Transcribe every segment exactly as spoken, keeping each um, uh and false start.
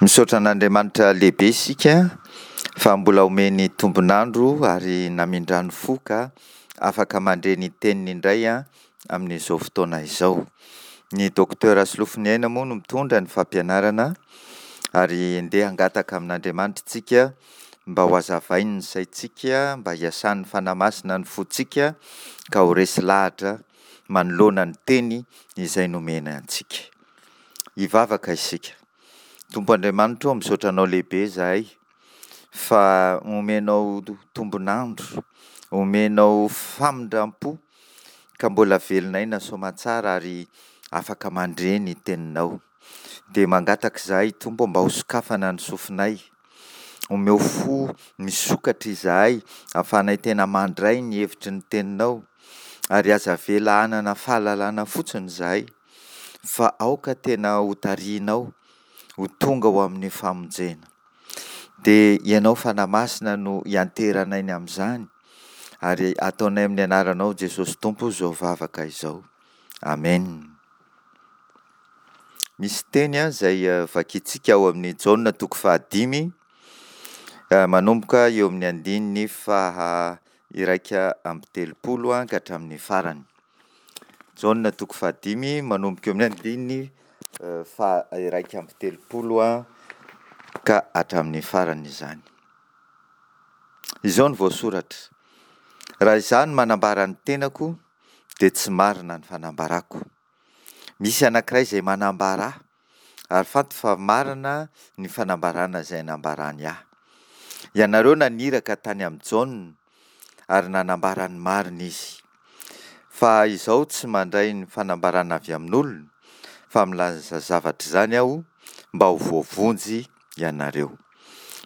Misaotra an'Andriamanitra lehibe isika fa mbola omeny tombon'andro ary namindrany fo ka afaka mandre ny teniny indray amin'izao fotoana izao. Ny Docteur Solofoniaina moa no mitondra ny fampianarana ary ndeha hangataka amin'Andriamanitra isika mba ho hazavainy ny saintsika, mba hiasan'ny Fanahy Masina ny fontsika ka ho resy lahatra manoloana ny teny izay nomena antsika. Hivavaka isika. Tompo Andriamanitra ô, misaotra anao lehibe izahay fa omenao tombon'andro, omenao famindram-po ka mbola velon'aina soamantsara ary afaka mandre ny teninao. Dia mangataka izahay Tompo mba hosokafana ny sofinay, omeo fo misokatra izahay ahafahanay tena mandray ny hevitry ny teninao ary aza avela hanana fahalalana fotsiny izahay fa aoka tena hotarihinao ho tonga ho amin'ny famonjena. Dia Ianao Fanahy Masina no ianteranay ny amin'izany ary ataonay amin'ny anaranao Jesosy Tompo izao vavaka izao. Amen. Misy teny izay vakintsika ao amin'ny Jaona toko fahadimy, manomboka eo amin'ny andininy faha iraika amby telopolo ka hatramin'ny farany. Jaona toko fahadimy manomboka eo amin'ny andininy faha iraika amby telopolo ka hatramin'ny farany izany. Izao no voasoratra: raha izaho no manambara ny tenako dia tsy marina ny fanambarako. Misy anankiray izay manambara ahy ary fantatro fa marina ny fanambarana izay nambarany ahy. Ianareo naniraka tany amin'i Jaona ary nanambara ny marina izy. Fa izaho tsy mandray ny fanambarana avy amin'olona fa milaza zavatra izany aho mba ho voavonjy ianareo.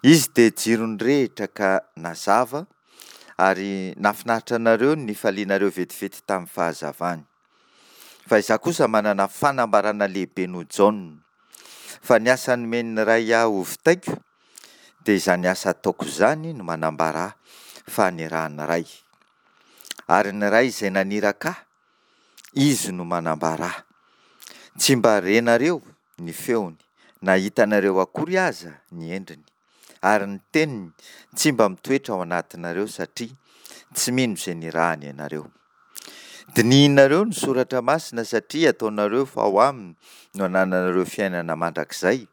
Izy dia jiro nirehitra ka nazava ary nahafinaritra anareo ny nifalianareo vetivety tamin'ny fahazavany. Fa izaho kosa manana fanambarana lehibe noho Jaona. Fa ny asa nomen'ny Ray ahy ho vitaiko dia izany asa ataoko izany no manambara ahy fa nirahan'ny Ray. Ary ny Ray izay naniraka ahy, izy no manambara ahy. Tsy mba renareo ny feony, na hitanareo akory aza ny endriny. Ary ny teniny tsy mba mitoetra ao anatinareo satria tsy mino izay nirahany ianareo. Dinihinareo ny soratra masina satria ataonareo fa ao aminy no anananareo fiainana mandrakizay,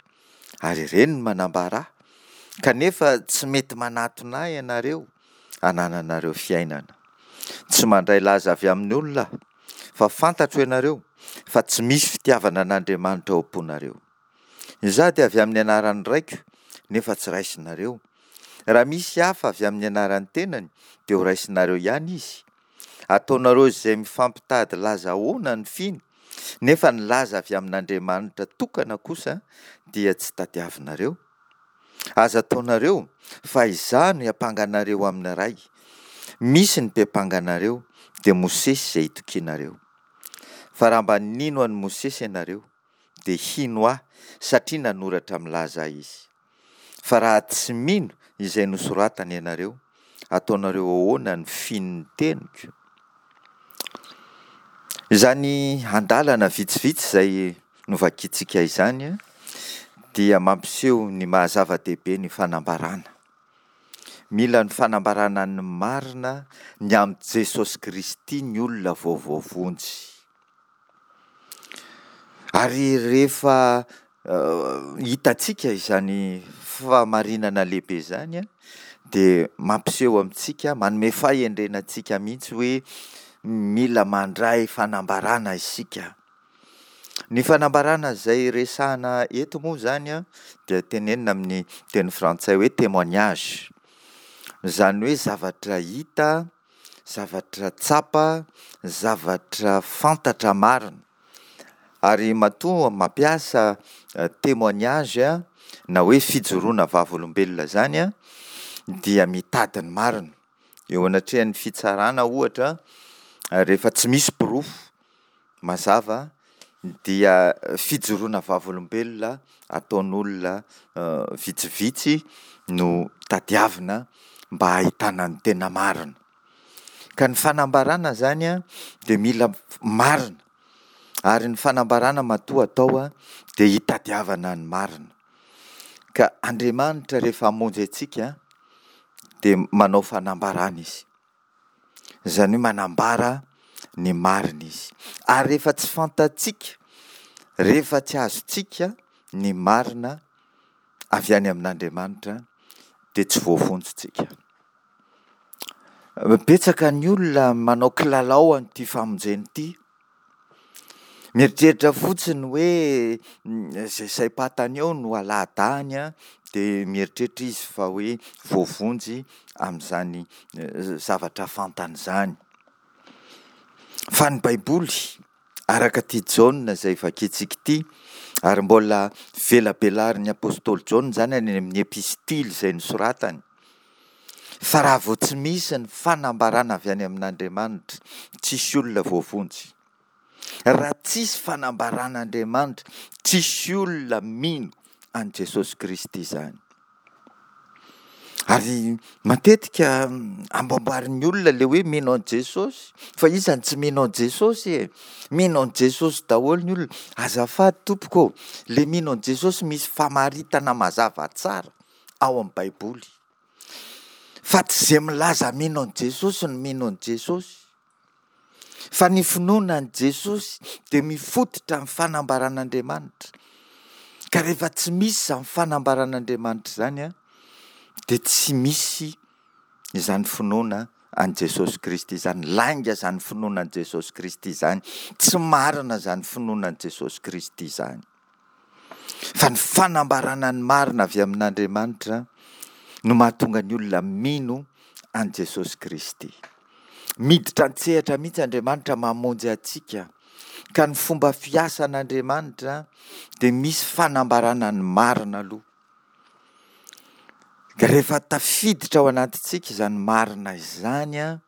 ary ireny no manambara ahy. Kanefa tsy mety manatona ahy ianareo hanananareo fiainana. Tsy mandray laza avy amin'ny olona aho, fa fantatro ianareo fa tsy misy fitiavana an'Andriamanitra ao am-ponareo. Izaho dia avy amin'ny anaran'ny Raiko, nefa tsy raisinareo. Raha misy hafa avy amin'ny anaran'ny tenany, dia ho raisinareo ihany izy. Ataonareo izay mifampitady laza ahoana ny fino, nefa ny laza avy amin'Andriamanitra tokana kosa dia tsy tadiavinareo. Aza ataonareo fa izaho no hiampanga anareo amin'ny Ray. Misy ny mpiampanga anareo, dia Mosesy izay itokianareo. Fa raha mba nino an'i Mosesy ianareo, dia hino ahy satria nanoratra milaza ahy izy. Fa raha tsy mino izay nosoratany ianareo, ataonareo ahoana ny fino ny teniko? Izany andalana vitsivitsy izay novakintsika izany dia mampiseho ny maha zava-dehibe ny fanambarana. Mila ny fanambarana ny marina ny amin'i Jesosy Kristy ny olona vao voavonjy. Ary rehefa hitantsika izany fahamarinana lehibe izany dia mampiseho amintsika, manome fahendrena antsika mihitsy hoe mila mandray fanambarana isika. Ny fanambarana izay resahana eto moa izany dia tenenina amin'ny teny frantsay hoe témoignage. Izany hoe zavatra hita, zavatra tsapa, zavatra fantatra marina. Ary matoa mampiasa témoignage na hoe fijoroana vavolombelona izany dia mitady ny marina. Eo anatrehan'ny fitsarana ohatra, rehefa tsy misy porofo mazava dia fijoroana vavolombelona ataon'olona vitsivitsy no tadiavina mba hahitana ny tena marina. Ka ny fanambarana izany dia mila marina, ary ny fanambarana matoa atao dia hitadiavana ny marina. Ka Andriamanitra rehefa hamonjy antsika dia manao fanambarana Izy. Izany hoe manambara ny marina Izy. Ary rehefa tsy fantatsika, rehefa tsy azontsika ny marina avy any amin'Andriamanitra dia tsy voavonjy tsika. Betsaka ny olona manao kilalao an'ity famonjena ity. Mieritreritra fotsiny hoe izay saim-pantany eo no alahadahany dia mieritreritra izy fa hoe voavonjy amin'izany zavatra fantany izany. Fa ny Baiboly, araka ity Jaona izay vakintsika ity, ary mbola velabelarin'ny apostoly Jaona izany any amin'ny epistily izay nosoratany, fa raha vao tsy misy ny fanambarana avy any amin'Andriamanitra, tsisy olona voavonjy. Raha tsisy fanambaran'Andriamanitra, tsisy olona mino an'i Jesosy Kristy izany. Ary matetika amboamboarin'ny olona ilay hoe mino an'i Jesosy. Fa iza no tsy mino an'i Jesosy e? Mino an'i Jesosy daholo ny olona. Azafady tompoko ô, ilay mino an'i Jesosy misy famaritana mazava tsara ao amin'ny Baiboly. Fa tsy izay milaza mino an'i Jesosy no mino an'i Jesosy. Fa ny finoana an'i Jesosy dia mifototra amin'ny fanambaran'Andriamanitra. Ka rehefa tsy misy izany fanambaran'Andriamanitra izany an, dia tsy misy izany finoana an'i Jesosy Kristy izany. Lainga izany finoana an'i Jesosy Kristy izany. Tsy marina izany finoana an'i Jesosy Kristy izany. Fa ny fanambarana ny marina avy amin'Andriamanitra no mahatonga ny olona mino an'i Jesosy Kristy. Miditra an-tsehatra mihitsy Andriamanitra mamonjy antsika. Ka ny fomba fiasan'Andriamanitra dia misy fanambarana ny marina aloha. Ka rehefa tafiditra ao anatintsika izany marina izany an,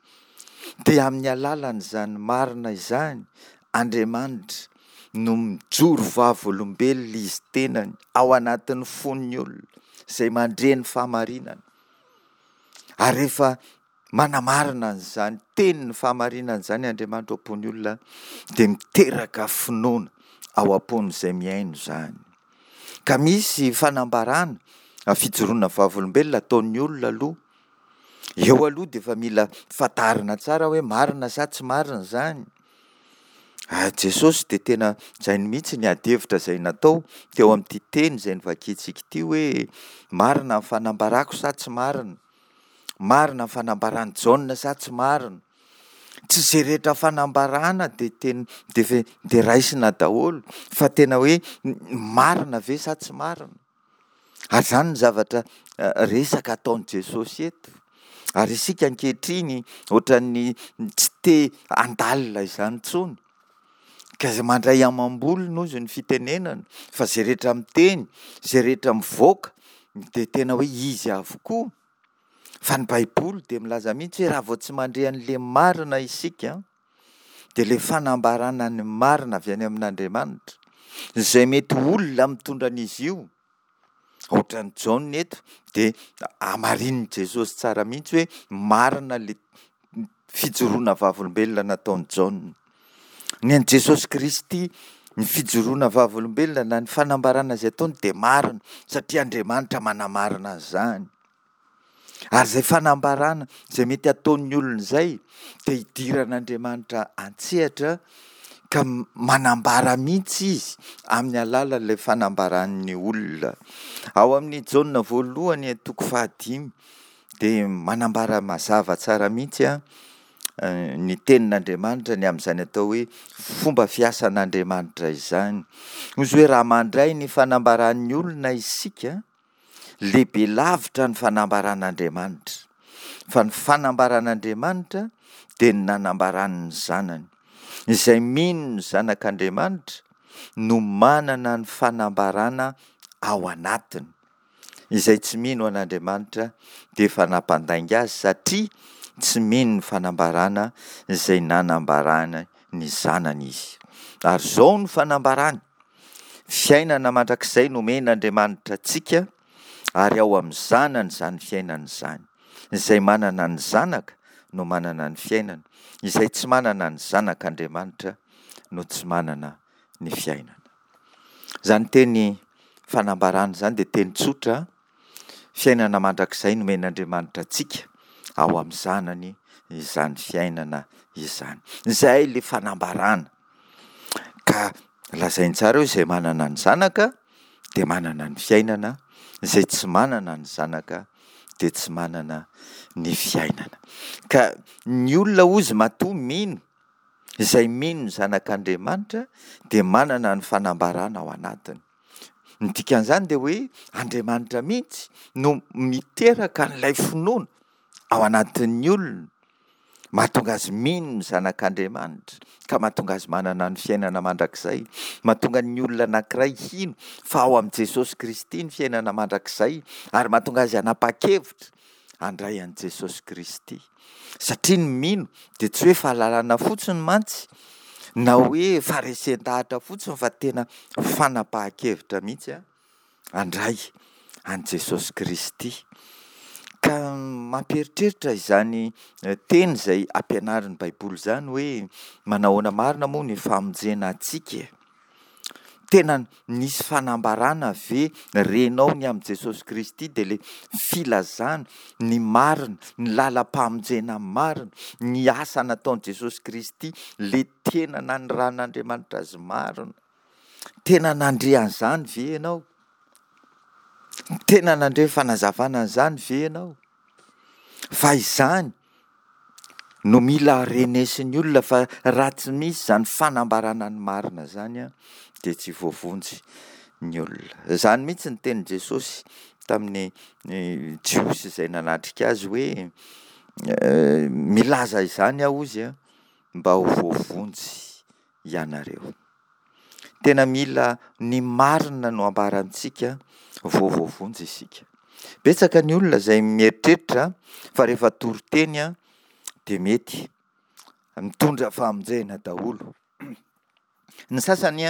dia amin'ny alalan'izany marina izany Andriamanitra no mijoro vavolombelona izy tenany ao anatin'ny fon'ny olona izay mandre ny fahamarinana. Ary rehefa manamarina an'izany tenin'ny fahamarinana izany Andriamanitra ao am-pon'ny olona dia miteraka finoana ao am-pon'izay mihaino izany. Ka misy fanambarana, fijoroana vavolombelona ataon'ny olona aloha. Eo aloha dia efa mila fantarina tsara hoe marina sa tsy marina izany. Ary Jesosy dia tena izay mihitsy ny ady hevitra izay natao teo amin'ity teny izay novakintsika ity hoe marina ny fanambarako sa tsy marina? Marina ny fanambaran'i Jaona sa tsy marina? Tsy izay rehetra fanambarana dia tena dia dia raisina daholo fa tena hoe marina ve sa tsy marina? Ary izany ny zavatra resaka ataon'i Jesosy eto. Ary isika ankehitriny ohatran'ny tsy te handalina izany intsony. Ka izay mandray amam-bolony hozy ny fitenenana fa izay rehetra miteny, izay rehetra mivoaka dia tena hoe izy avokoa. Fa ny Baiboly dia milaza mihitsy hoe raha vao tsy mandre an'ilay marina isika dia ilay fanambarana ny marina avy any amin'Andriamanitra, izay mety olona mitondra an'izy io, ohatran'i Jaona eto, dia hamarinin'i Jesosy tsara mihitsy hoe marina ilay fijoroana vavolombelona nataon'i Jaona. Ny an'i Jesosy Kristy, ny fijoroana vavolombelona na ny fanambarana izay ataony dia marina satria Andriamanitra manamarina an'izany. Ary izay fanambarana izay mety ataon'ny olona izay dia hidiran'Andriamanitra an-tsehatra ka manambara mihitsy izy amin'ny alalan'ilay fanambaran'ny olona. Ao amin'ny Jaona voalohany toko fahadimy dia manambara mazava tsara mihitsy a ny tenin'Andriamanitra ny amin'izany atao hoe fomba fiasan'Andriamanitra izany. Hoy izy hoe raha mandray ny fanambaran'ny olona isika, lehibe lavitra ny fanambaran'Andriamanitra. Fa ny fanambaran'Andriamanitra dia ny nanambarany ny Zanany. Izay mino ny Zanak'Andriamanitra no manana ny fanambarana ao anatiny. Izay tsy mino an'Andriamanitra dia efa nampandainga azy satria tsy mino ny fanambarana izay nanambarany ny Zanany izy. Ary izao no fanambarany, fiainana mandrakizay nomen'Andriamanitra antsika, ary ao amin'ny Zanany izany fiainana izany. Izay manana ny Zanaka no manana ny fiainana, izay tsy manana ny Zanak'Andriamanitra no tsy manana ny fiainana. Izany teny fanambarana izany dia teny tsotra, fiainana mandrakizay nomen'Andriamanitra antsika ao amin'ny Zanany izany fiainana izany. Izay ilay fanambarana. Ka lazainy tsara hoe izay manana ny Zanaka dia manana ny fiainana, izay tsy manana ny Zanaka dia tsy manana ny fiainana. Ka ny olona hozy matoa mino, izay mino ny Zanak'Andriamanitra dia manana ny fanambarana ao anatiny. Ny dikan'izany dia hoe Andriamanitra mihitsy no miteraka an'ilay finoana ao anatin'ny olona, mahatonga azy mino ny Zanak'Andriamanitra ka mahatonga azy manana ny fiainana mandrakizay, mahatonga ny olona anankiray hino fa ao amin'i Jesosy Kristy ny fiainana mandrakizay ary mahatonga azy hanapa-kevitra handray an'i Jesosy Kristy. Satria ny mino dia tsy hoe fahalalana fotsiny mantsy na hoe faharesen-dahatra fotsiny fa tena fanapahan-kevitra mihitsy handray an'i Jesosy Kristy. Ka mampieritreritra izany teny izay ampianarin'ny Baiboly izany hoe manahoana marina moa ny famonjena antsika e? Tena nisy fanambarana ve renao ny amin'i Jesosy Kristy dia ilay filazana ny marina, ny lalam-pamonjena marina, ny asa nataon'i Jesosy Kristy, ilay tena naniran'Andriamanitra azy marina. Tena nandre an'izany ve ianao? Tena nandre fanazavana an'izany ve ianao? Fa izany no mila renesin'ny olona fa raha tsy misy izany fanambarana ny marina izany dia tsy voavonjy ny olona. Izany mihitsy ny tenin'i Jesosy tamin'ny Jiosy izay nanatrika azy hoe milaza izany aho hozy mba ho voavonjy ianareo. Tena mila ny marina no ambarantsika vao voavonjy isika. Betsaka ny olona izay mieritreritra fa rehefa toriteny dia mety mitondra famonjena daholo. Ny sasany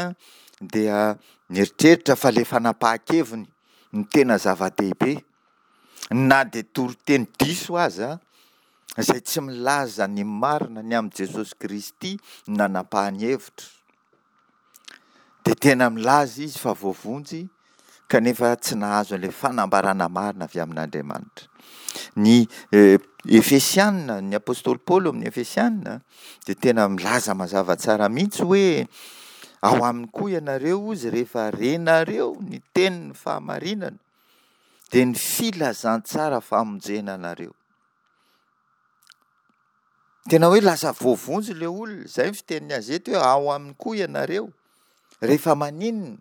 dia mieritreritra fa ilay fanapahan-keviny no tena zava-dehibe na dia toriteny diso aza izay tsy milaza ny marina ny amin'i Jesosy Kristy no nanapahany hevitra. Dia tena milaza izy fa voavonjy kanefa tsy nahazo an'ilay fanambarana marina avy amin'Andriamanitra. Ny Efesiana, ny apostoly Paoly amin'ny Efesiana dia tena milaza mazava tsara mihitsy hoe ao aminy koa ianareo hozy rehefa renareo ny tenin'ny fahamarinana dia ny filazantsara famonjena anareo. Tena hoe lasa voavonjy ilay olona, izay ny fitenin'ny azy eto hoe ao aminy koa ianareo. Rehefa maninona?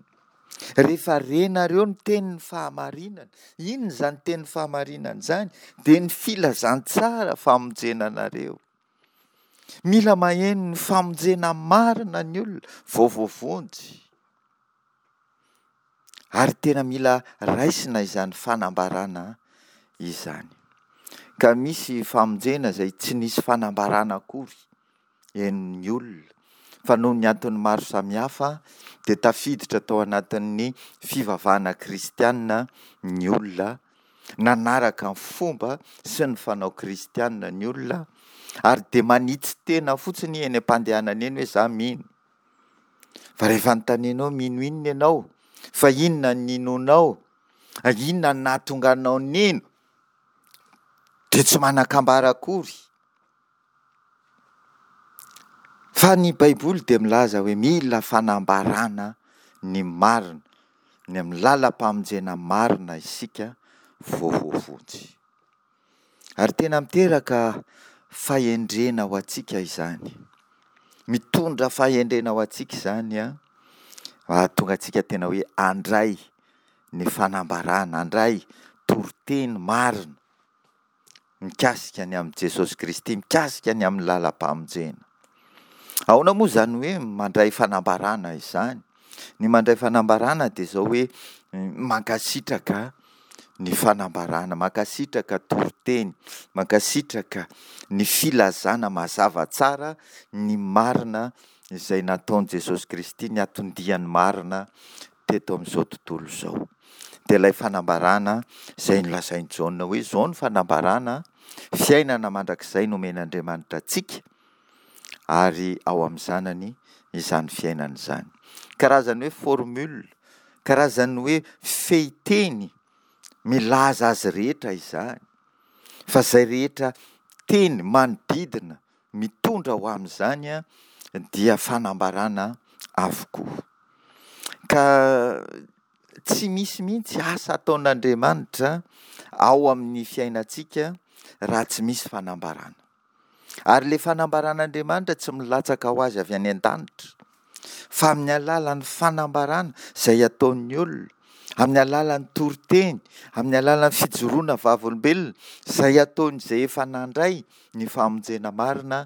Rehefa renareo ny tenin'ny fahamarinana. Inona izany tenin'ny fahamarinana izany? Dia ny filazantsara famonjena anareo. Mila maheno ny famonjena marina ny olona vao voavonjy. Ary tena mila raisina izany fanambarana izany. Ka misy famonjena izay tsy nisy fanambarana akory henon'ny olona, fa noho ny antony maro samihafa dia tafiditra tao anatin'ny fivavahana kristiana ny olona, nanaraka ny fomba sy ny fanao kristiana ny olona, ary dia manitsy tena fotsiny eny am-pandehanana eny hoe za mino. Fa rehefa anontanianao mino inona ianao? Fa inona no ninoanao? Inona no nahatonga anao nino? Dia tsy manan-kambara akory. Fa ny Baiboly dia milaza hoe mila fanambarana ny marina, ny amin'ny lalam-pamonjena marina isika vao voavonjy. Ary tena miteraka fahendrena ho antsika izany. Mitondra fahendrena ho antsika izany an, hahatonga antsika tena hoe handray ny fanambarana, handray toriteny marina mikasika ny amin'i Jesosy Kristy, mikasika ny amin'ny lalam-pamonjena. Ahoana moa izany hoe mandray fanambarana izany? Ny mandray fanambarana dia izao hoe mankasitraka ny fanambarana, mankasitraka toriteny, mankasitraka ny filazana mazava tsara ny marina izay nataon'i Jesosy Kristy, ny anton-diany marina teto amin'izao tontolo izao. Dia ilay fanambarana izay nolazain'i Jaona hoe izao ny fanambarana, fiainana mandrakizay nomen'Andriamanitra antsika ary ao amin'ny Zanany izany fiainana izany. Karazany hoe formule Karazan'ny hoe fehinteny milaza azy rehetra izany, fa izay rehetra teny manodidina mitondra ho amin'izany dia fanambarana avokoa. Ka tsy misy mihitsy asa ataon'Andriamanitra ao amin'ny fiainantsika raha tsy misy fanambarana. Ary ilay fanambaran'Andriamanitra tsy milatsaka ho azy avy any an-danitra, fa amin'ny alalan'ny fanambarana izay ataon'ny olona, amin'ny alalan'ny toriteny, amin'ny alalan'ny fijoroana vavolombelona izay ataon'izay efa nandray ny famonjena marina,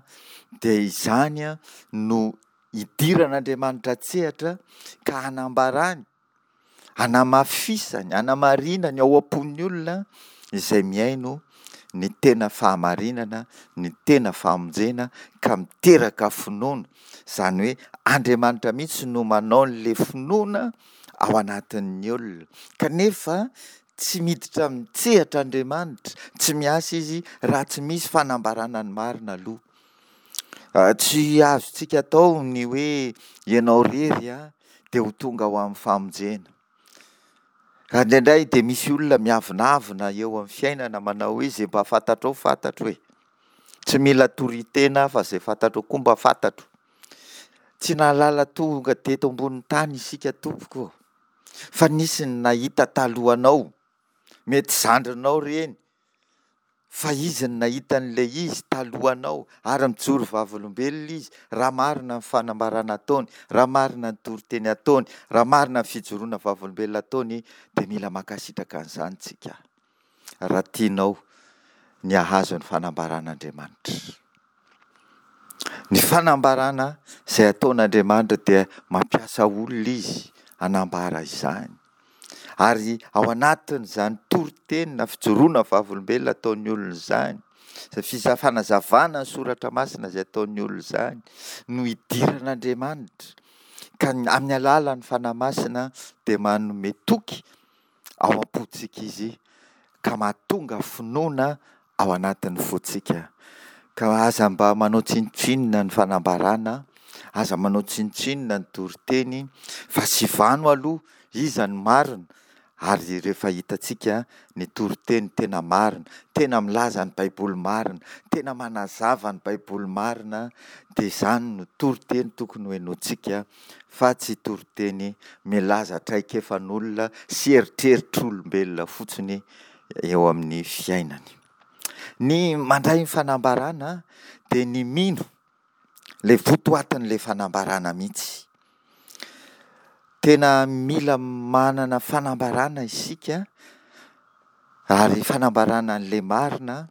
dia izany no idiran'Andriamanitra an-tsehatra ka hanambarany, hanamafisany, hanamarinany ao am-pon'ny olona izay mihaino ny tena fahamarinana, ny tena famonjena ka miteraka finoana. Izany hoe Andriamanitra mihitsy no manao an'ilay finoana ao anatin'ny olona. Kanefa tsy miditra an-tsehatra Andriamanitra, tsy miasa Izy raha tsy misy fanambarana ny marina aloha. Tsy azontsika atao ny hoe ianao irery dia ho tonga ho amin'ny famonjena. Ka indraindray dia misy olona miavonavona eo amin'ny fiainana manao hoe izay mba fantatrao fantatro e. Tsy mila toritena aho fa izay fantatrao koa mba fantatro. Tsy nahalala tonga teto ambonin'ny tany isika tompoko ô. Fa nisy ny nahita talohanao. Mety zandrinao ireny. Fa izy no nahita an'ilay izy talohanao ary mijoro vavolombelona izy raha marina ny fanambarana ataony, raha marina ny toriteny ataony, raha marina ny fijoroana vavolombelona ataony dia mila mankasitraka an'izany tsika raha tianao ny hahazo ny fanambaran'Andriamanitra. Ny fanambarana izay ataon'Andriamanitra dia mampiasa olona izy hanambara izany. Ary ao anatin'izany toriteny na fijoroana vavolombelona ataon'ny olona izany, izay fanazavana ny soratra masina izay ataon'ny olona izany no idiran'Andriamanitra ka amin'ny alalan'ny Fanahy Masina dia manome toky ao am-pontsika Izy ka mahatonga finoana ao anatin'ny fontsika. Ka aza mba manao tsinontsinona ny fanambarana, aza manao tsinontsinona ny toriteny fa sivano aloha iza no marina ary rehefa hitantsika ny toriteny tena marina, tena milaza ny Baiboly marina, tena manazava ny Baiboly marina dia izany no toriteny tokony ho henointsika fa tsy toriteny milaza traikefan'olona sy eritreritr'olombelona fotsiny eo amin'ny fiainany. Ny mandray ny fanambarana dia ny mino ilay votoatin'ilay fanambarana mihitsy. Tena mila manana fanambarana isika ary fanambarana an'ilay marina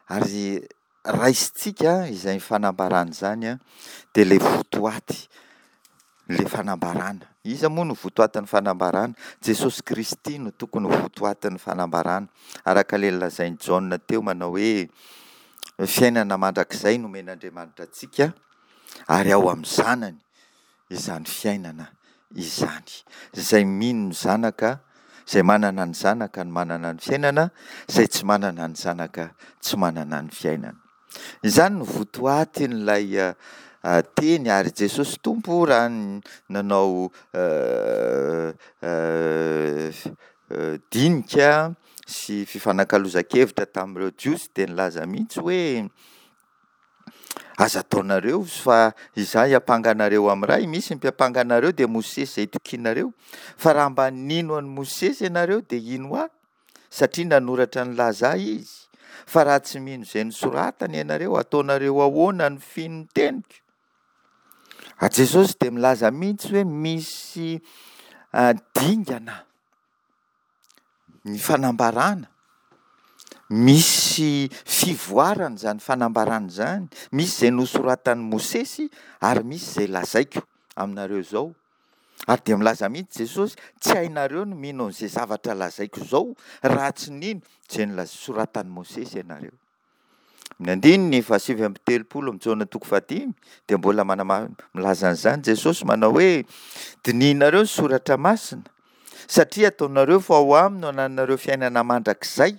ary raisintsika izay fanambarana izany dia ilay votoaty ilay fanambarana. Iza moa no votoatin'ny fanambarana? Jesosy Kristy no tokony ho votoatin'ny fanambarana. Araka ilay nolazain'i Jaona teo manao hoe fiainana mandrakizay nomen'Andriamanitra antsika ary ao amin'ny Zanany izany fiainana izany. Izay mino ny Zanaka, izay manana ny Zanaka no manana ny fiainana, izay tsy manana ny Zanaka tsy manana ny fiainana. Izany no votoatin'ilay teny ary Jesosy Tompo raha nanao dinika sy fifanakalozan-kevitra tamin'ireo Jiosy dia nilaza mihitsy hoe aza ataonareo fa izaho hiampanga anareo amin'ny Ray, misy ny mpiampanga anareo dia Mosesy izay itokianareo, fa raha mba nino an'i Mosesy ianareo dia hino ahy satria nanoratra nilaza ahy izy, fa raha tsy mino izay nosoratany ianareo, ataonareo ahoana ny fino ny teniko? Ary Jesosy dia milaza mihitsy hoe misy dingana ny fanambarana, misy fivoarana izany fanambarana izany, misy izay nosoratan'i Mosesy ary misy izay lazaiko aminareo izao. Ary dia milaza mihitsy Jesosy, tsy hainareo ny mino an'izay zavatra lazaiko izao raha tsy nino izay nosoratan'i Mosesy ianareo. Ny andininy fahasivy amby telopolo amin'ny Jaona toko fahadimy dia mbola manama-, milaza an'izany Jesosy manao hoe dinihinareo ny soratra masina satria ataonareo fa ao aminy no anananareo fiainana mandrakizay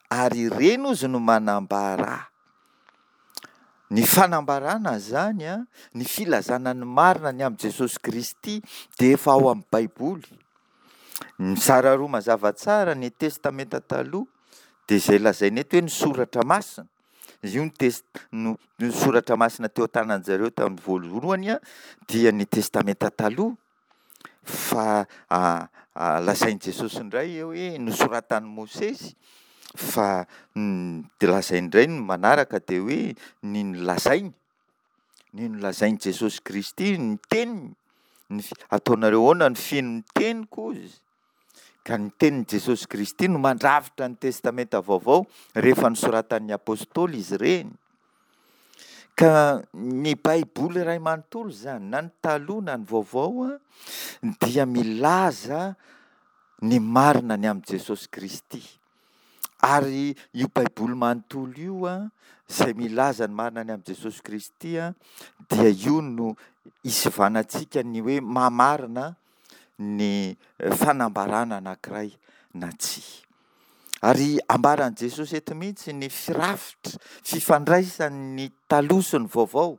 ary ireny ozy no manambara ahy. Ny fanambarana izany, ny filazana ny marina ny amin'i Jesosy Kristy dia efa ao amin'ny Baiboly. Mizara roa mazava tsara ny Testamenta Taloha dia izay lazaina eto hoe ny Soratra Masina. Io ny test- no ny Soratra Masina teo an-tanan-jareo tamin'ny voalohany dia ny Testamenta Taloha, fa lazain'i Jesosy indray eo hoe nosoratan'i Mosesy, fa de lazainy indray ny manaraka de hoe ny nolazainy, ny nolazain'i Jesosy Kristy, ny teniny, ny fi- ataonareo ahoana ny fino ny teniko hozy izy. Ka ny tenin'i Jesosy Kristy no mandrafitra ny Testamenta Vaovao rehefa nosoratan'ny apostoly izy ireny. Ka ny Baiboly iray manontolo izany, na ny taloha na ny vaovao, dia milaza ny marina ny amin'i Jesosy Kristy. Ary io Baiboly manontolo io, izay milaza ny marina ny amin'i Jesosy Kristy, dia io no isivanantsika ny hoe maha-marina ny fanambarana anankiray na tsia. Ary ambaran'i Jesosy eto mihitsy ny firafitra, fifandraisan'ny taloha sy ny vaovao.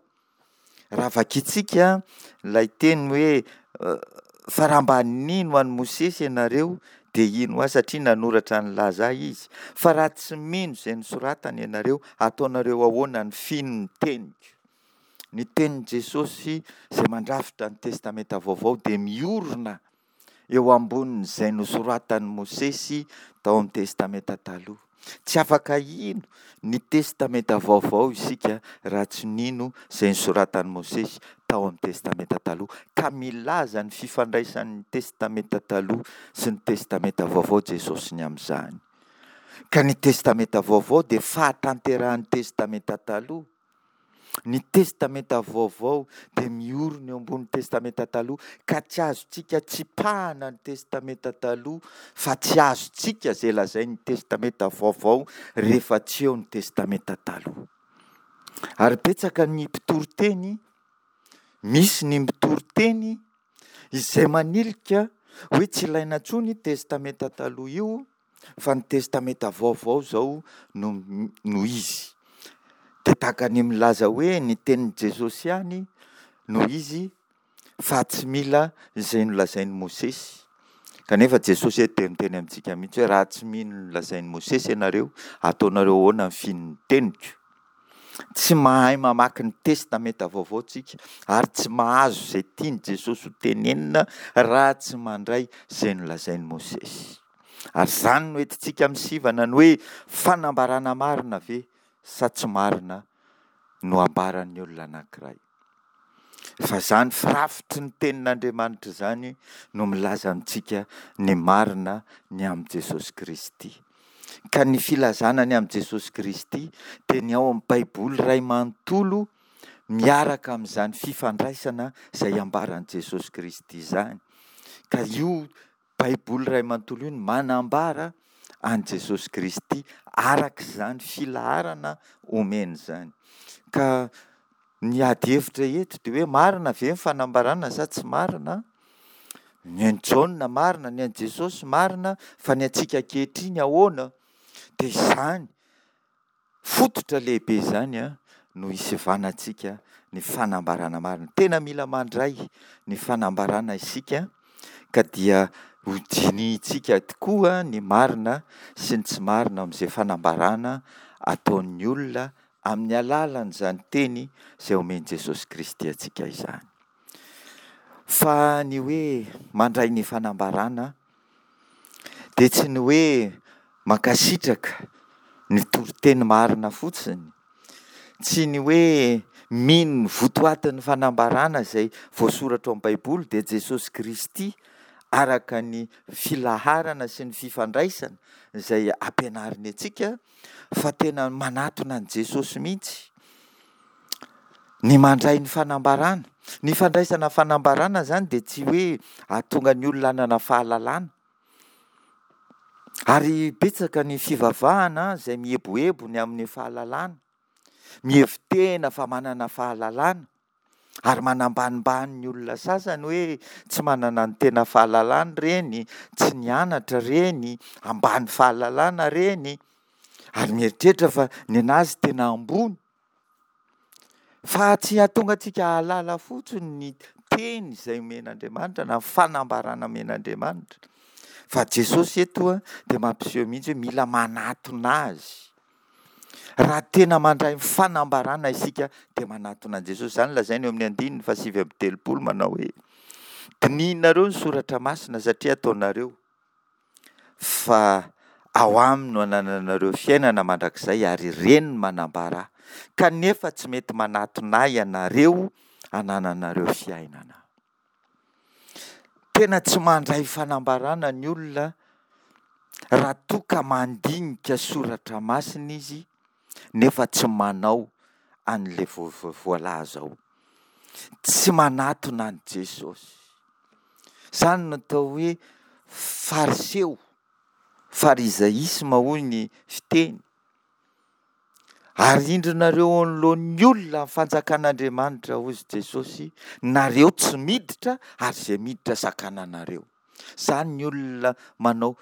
Raha vakintsika ilay teny hoe fa raha mba nino an'i Mosesy ianareo dia hino ahy satria nanoratra nilaza ahy izy. Fa raha tsy mino izay nosoratany ianareo, ataonareo ahoana ny fino ny teniko? Ny tenin'i Jesosy izay mandrafitra ny Testamenta Vaovao dia miorina eo ambonin'izay nosoratan'i Mosesy tao amin'ny Testamenta Taloha. Tsy afaka hino ny Testamenta Vaovao isika raha tsy nino izay nosoratan'i Mosesy tao amin'ny Testamenta Taloha, ka milaza ny fifandraisan'ny Testamenta Taloha sy ny Testamenta Vaovao Jesosy ny amin'izany. Ka ny Testamenta Vaovao dia fahatanterahan'ny Testamenta Taloha. Ny Testamenta Vaovao dia miorina eo ambonin'ny Testamenta Taloha, ka tsy azontsika tsipahana ny Testamenta Taloha, fa tsy azontsika izay lazain'ny Testamenta Vaovao rehefa tsy eo ny Testamenta Taloha. Ary betsaka ny mpitory teny, misy ny mpitory teny izay manilika hoe tsy ilaina intsony io Testamenta Taloha io, fa ny Testamenta Vaovao izao no, no izy. Dia tahaka ny milaza hoe ny tenin'i Jesosy ihany no izy fa tsy mila izay nolazain'i Mosesy. Kanefa Jesosy eto dia miteny amintsika mihitsy hoe raha tsy mino ny nolazain'i Mosesy ianareo, ataonareo ahoana ny fino ny teniko? Tsy mahay mamaky ny Testamenta Vaovao tsika ary tsy mahazo izay tian'i Jesosy ho tenenina raha tsy mandray izay nolazain'i Mosesy. Ary izany no entintsika misivana ny hoe fanambarana marina ve sa tsy marina no ambaran'ny olona anankiray. Fa izany firafitry ny tenin'Andriamanitra izany no milaza amintsika ny marina ny amin'i Jesosy Kristy. Ka ny filazana ny amin'i Jesosy Kristy dia ny ao amin'ny Baiboly iray manontolo miaraka amin'izany fifandraisana izay ambaran'i Jesosy Kristy izany. Ka io Baiboly iray manontolo io no manambara an'i Jesosy Kristy araka izany filaharana omeny izany. Ka ny ady hevitra eto dia hoe marina ve ny fanambarana sa tsy marina? Ny an'i Jaona marina, ny an'i Jesosy marina, fa ny antsika ankehitriny ahoana? Dia izany fototra lehibe izany no hisivanantsika ny fanambarana marina. Tena mila mandray ny fanambarana isika ka dia ho dinihintsika tokoa ny marina sy ny tsy marina amin'izay fanambarana ataon'ny olona amin'ny alalan'izany teny izay omen'i Jesosy Kristy antsika izany. Fa ny hoe mandray ny fanambarana dia tsy ny hoe mankasitraka ny toriteny marina fotsiny, tsy ny hoe mino ny votoatin'ny fanambarana izay voasoratra ao amin'ny Baiboly dia Jesosy Kristy araka ny filaharana sy ny fifandraisana izay ampianariny antsika fa tena manatona an'i Jesosy mihitsy ny mandray ny fanambarana. Ny fandraisana fanambarana izany dia tsy hoe hahatonga ny olona hanana fahalalana. Ary betsaka ny fivavahana izay mieboebo ny amin'ny fahalalana, mihevi-tena fa manana fahalalana, ary manambanimbany ny olona sasany hoe tsy manana ny tena fahalalana ireny, tsy nianatra ireny, ambany fahalalana ireny, ary mieritreritra fa ny an'azy tena ambony. Fa tsy hahatonga antsika hahalala fotsiny ny teny izay omen'Andriamanitra na ny fanambarana omen'Andriamanitra, Fa Jesosy eto dia mampiseho mihitsy hoe mila manatona Azy. Raha tena mandray ny fanambarana isika dia manatona an'i Jesosy. Izany lazainy eo amin'ny andininy fahasivy amby telopolo manao hoe, dinihinareo ny soratra masina satria ataonareo fa ao aminy no anananareo fiainana mandrakizay ary ireny no manambara ahy. Kanefa tsy mety manatona ahy ianareo hanananareo fiainana. Tena tsy mandray fanambarana ny olona raha toa ka mandinika soratra masina izy nefa tsy manao an'ilay voalaza ao. Tsy manatona an'i Jesosy. Izany no atao hoe fariseo, farizaisma hoy ny fiteny. Arindrinareo eo anoloan'ny olona ny fanjakan'Andriamanitra, hoy Jesosy, nareo tsy miditra ary izay miditra sakananareo. Izany ny olona manao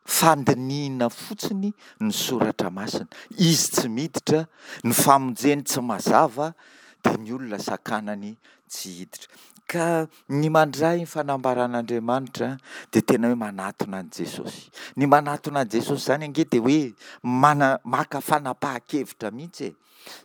fandinihina fotsiny ny soratra masina. Izy tsy miditra, ny famonjeny tsy mazava, dia ny olona sakanany tsy hiditra. Ka ny mandray ny fanambaran'Andriamanitra dia tena hoe manatona an'i Jesosy. Ny manatona an'i Jesosy izany ange dia hoe mana- maka fanapahan-kevitra mihitsy e.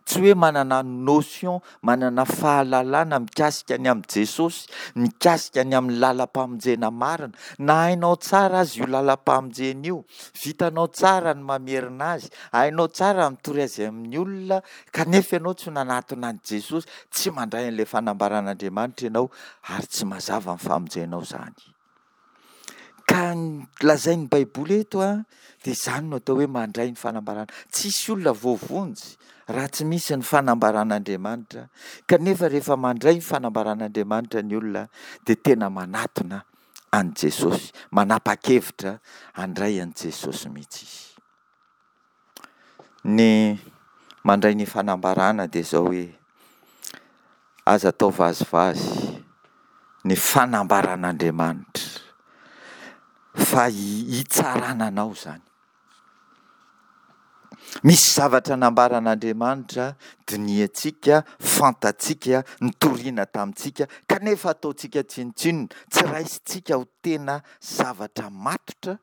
Tsy hoe manana notion, manana fahalalana mikasika ny amin'i Jesosy, mikasika ny amin'ny lalam-pamonjena marina. Na hainao tsara aza io lalam-pamonjena io, vitanao tsara ny mamerina azy, hainao tsara ny mitory azy amin'ny olona, kanefa ianao tsy nanatona an'i Jesosy, tsy mandray an'ilay fanambaran'Andriamanitra ianao ary tsy mazava ny famonjenao izany. Ka ny lazain'ny Baiboly eto a, dia izany no atao hoe mandray ny fanambarana. Tsisy olona voavonjy raha tsy misy ny fanambaran'Andriamanitra, kanefa rehefa mandray ny fanambaran'Andriamanitra ny olona dia tena manatona an'i Jesosy, manapa-kevitra handray an'i Jesosy mihitsy izy. Ny mandray ny fanambarana dia izao hoe, aza atao vazivazy ny fanambaran'Andriamanitra fa hitsarana anao izany. Misy zavatra nambaran'Andriamanitra dinihantsika, fantatsika, nitoriana tamintsika, kanefa ataontsika tsinontsinona, tsy raisintsika ho tena zavatra matotra,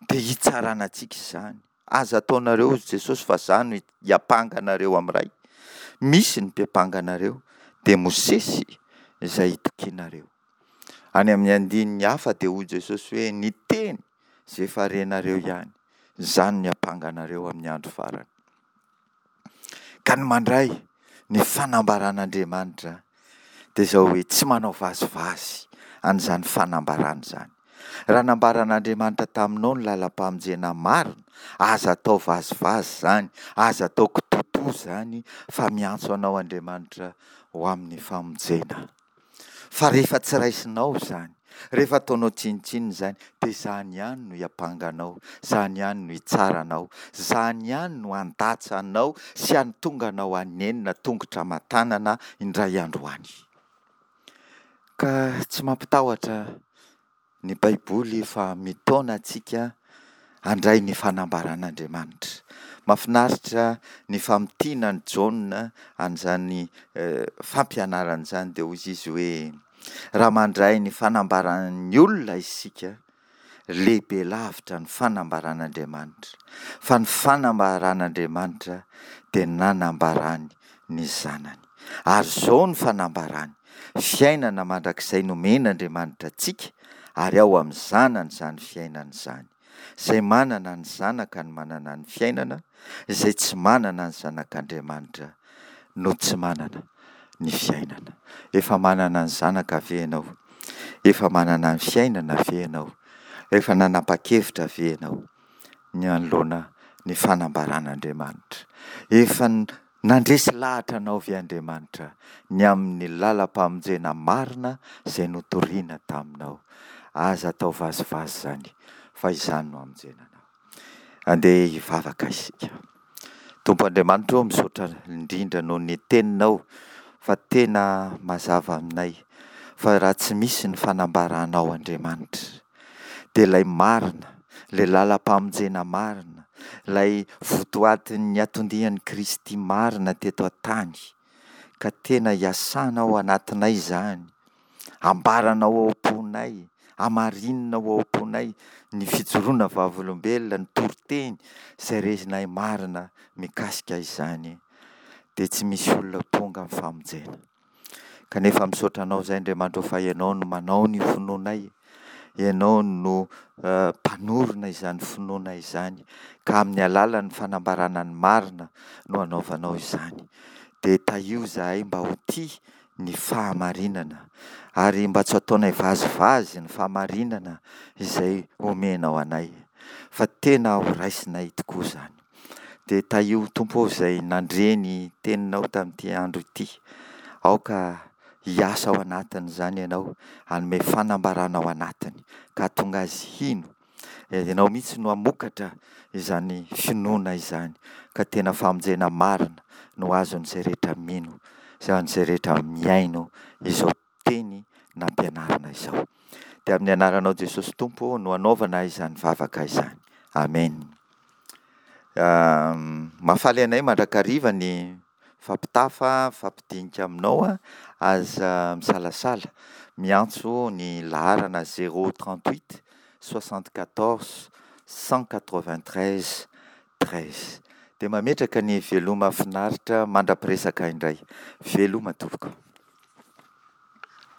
dia hitsarana antsika izany. Aza ataonareo, hoy Jesosy, fa izaho no hiampanga anareo amin'ny Ray. Misy ny mpiampanga anareo, dia Mosesy izay itokianareo. Any amin'ny andininy hafa dia hoy Jesosy hoe, ny teny izay efa renareo ihany, izany no hiampanga anareo amin'ny andro farany. Ka ny mandray ny fanambaran'Andriamanitra dia izao hoe tsy manao vazivazy an'izany fanambarana izany. Raha nambaran'Andriamanitra taminao ny lalam-pamonjena marina, aza atao vazivazy izany, aza atao kitoatoa izany, fa miantso anao Andriamanitra ho amin'ny famonjena. Fa rehefa tsy raisinao izany, rehefa ataonao tsinontsinona izany, dia izany ihany no hiampanga anao, izany ihany no hitsara anao, izany ihany no handatsa anao sy hahatonga anao hanenina tongotra aman-tanana indray andro any. Ka tsy mampitahotra ny Baiboly fa mitaona antsika handray ny fanambaran'Andriamanitra. Mahafinaritra ny famintinan'i Jaona an'izany fampianarana izany, dia hoy izy hoe, raha mandray ny fanambaran'ny olona isika, lehibe lavitra ny fanambaran'Andriamanitra, fa ny fanambaran'Andriamanitra dia nanambarany ny Zanany. Ary izao no fanambarany, fiainana mandrakizay nomen'Andriamanitra antsika, ary ao amin'ny Zanany izany fiainana izany. Izay manana ny Zanaka no manana ny fiainana, izay tsy manana ny Zanak'Andriamanitra no tsy manana ny fiainana. Efa manana ny Zanaka ve ianao? Efa manana ny fiainana ve ianao? Efa nanapa-kevitra ve ianao ny hanoloana ny fanambaran'Andriamanitra? Efa nandresy lahatra anao ve Andriamanitra ny amin'ny lalam-pamonjena marina izay notorina taminao? Aza atao vazivazy izany, fa izany no hamonjena anao. Andeha hivavaka isika. Tompo Andriamanitra ô, misaotra indrindra noho ny teninao fa tena mazava aminay fa raha tsy misy ny fanambaranao Andriamanitra, dia ilay marina, ilay lalam-pamonjena marina, ilay votoatin'ny anton-dian'i Kristy marina teto an-tany, ka tena iasanao ao anatinay izany, ambaranao ao am-ponay, Hamarinina ao am-ponay ny fijoroana vavolombelona, ny toriteny izay renay marina mikasika izany, dia tsy misy olona tonga amin'ny famonjena. Kanefa misaotra Anao izahay Andriamanitra o fa Ianao no manao ny finoanay, Ianao no mpanorina izany finoanay izany, ka amin'ny alalan'ny fanambarana ny marina no anaovanao izany. Dia tahio izahay mba ho tia ny fahamarinana, ary mba tsy ataonay vazivazy ny fahamarinana izay omenao anay, fa tena ho raisinay tokoa izany. Dia tahio Tompo o izay nandre ny teninao tamin'ity andro ity. Aoka hiasa ao anatin'izany Ianao, hanome fanambarana ao anatiny ka hahatonga azy hino. Ianao mihitsy no hamokatra izany finoana izany, ka tena famonjena marina no azon'izay rehetra mino sy an'izay rehetra mihaino izao teny nampianarina izao. Dia amin'ny anaranao Jesosy Tompo no anaovana izany vavaka izany. Amena. Mahafaly anay mandrakariva ny mifampitafa, mifampidinika aminao an, aza misalasala miantso ny laharana zéro trente huit soixante quatorze cent quatre vingt treize treize. Dia mametraka ny veloma finaritra mandra-piresaka indray. Veloma tompoko.